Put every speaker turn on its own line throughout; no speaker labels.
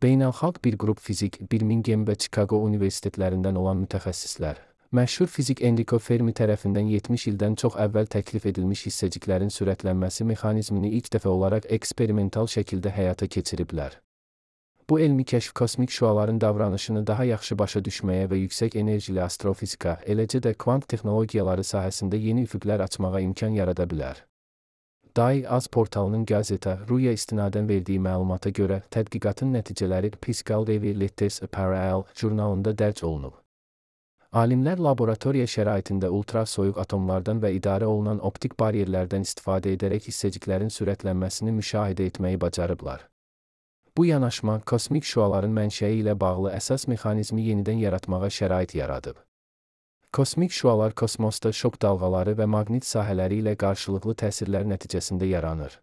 Beynəlxalq bir qrup fizik, Birmingham və Chicago universitetlərindən olan mütəxəssislər, məşhur fizik Enrico Fermi tərəfindən 70 ildən çox əvvəl təklif edilmiş hissəciklərin sürətlənməsi mexanizmini ilk dəfə olaraq eksperimental şəkildə həyata keçiriblər. Bu elmi kəşf kosmik şüaların davranışını daha yaxşı başa düşməyə və yüksək enerjili astrofizika, eləcə də kvant texnologiyaları sahəsində yeni üfüqlər açmağa imkan yarada bilər. DAI-AZ portalının Gazeta.ru-ya istinadən verdiyi məlumata görə, tədqiqatın nəticələri Physical Review Letters Parallel jurnalında dərc olunub. Alimlər laboratoriya şəraitində ultrasoyuq atomlardan və idarə olunan optik baryerlərdən istifadə edərək hissəciklərin sürətlənməsini müşahidə etməyi bacarıblar. Bu yanaşma, kosmik şüaların mənşəyi ilə bağlı əsas mexanizmi yenidən yaratmağa şərait yaradıb. Kosmik şüalar kosmosda şok dalğaları və maqnit sahələri ilə qarşılıqlı təsirlər nəticəsində yaranır.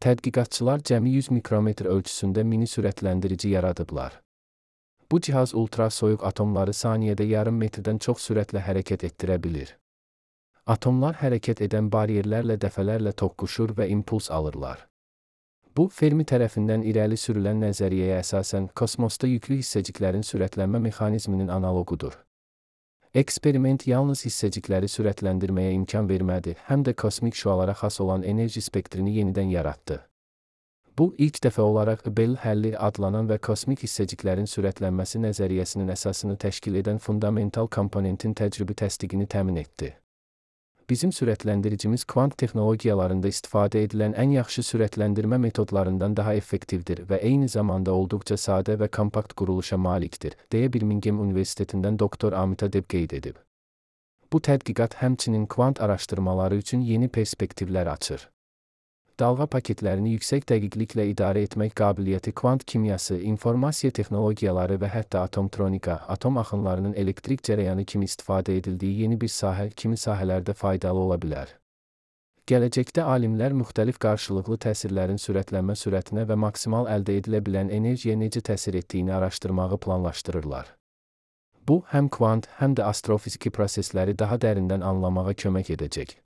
Tədqiqatçılar cəmi 100 mikrometr ölçüsündə mini sürətləndirici yaradıblar. Bu cihaz ultrasoyuq atomları saniyədə yarım metrdən çox sürətlə hərəkət etdirə bilir. Atomlar hərəkət edən baryerlərlə dəfələrlə toqquşur və impuls alırlar. Bu, Fermi tərəfindən irəli sürülən nəzəriyyəyə əsasən kosmosda yüklü hissəciklərin sürətlənmə mexanizminin analoqudur. Eksperiment yalnız hissəcikləri sürətləndirməyə imkan vermədi, həm də kosmik şüalara xas olan enerji spektrini yenidən yaratdı. Bu, ilk dəfə olaraq Bell həlli adlanan və kosmik hissəciklərin sürətlənməsi nəzəriyyəsinin əsasını təşkil edən fundamental komponentin təcrübi təsdiqini təmin etdi. Bizim sürətləndiricimiz kvant texnologiyalarında istifadə edilən ən yaxşı sürətləndirmə metodlarından daha effektivdir və eyni zamanda olduqca sadə və kompakt quruluşa malikdir, deyə Birmingham Universitetindən doktor Amita Deb qeyd edib. Bu tədqiqat həmçinin kvant araşdırmaları üçün yeni perspektivlər açır. Dalğa paketlərini yüksək dəqiqliklə idarə etmək qabiliyyəti kvant kimyası, informasiya texnologiyaları və hətta atomtronika, atom axınlarının elektrik cərəyanı kimi istifadə edildiyi yeni bir sahə kimi sahələrdə faydalı ola bilər. Gələcəkdə alimlər müxtəlif qarşılıqlı təsirlərin sürətlənmə sürətinə və maksimal əldə edilə bilən enerjiyə necə təsir etdiyini araşdırmağı planlaşdırırlar. Bu, həm kvant, həm də astrofiziki prosesləri daha dərindən anlamağa kömək edəcək.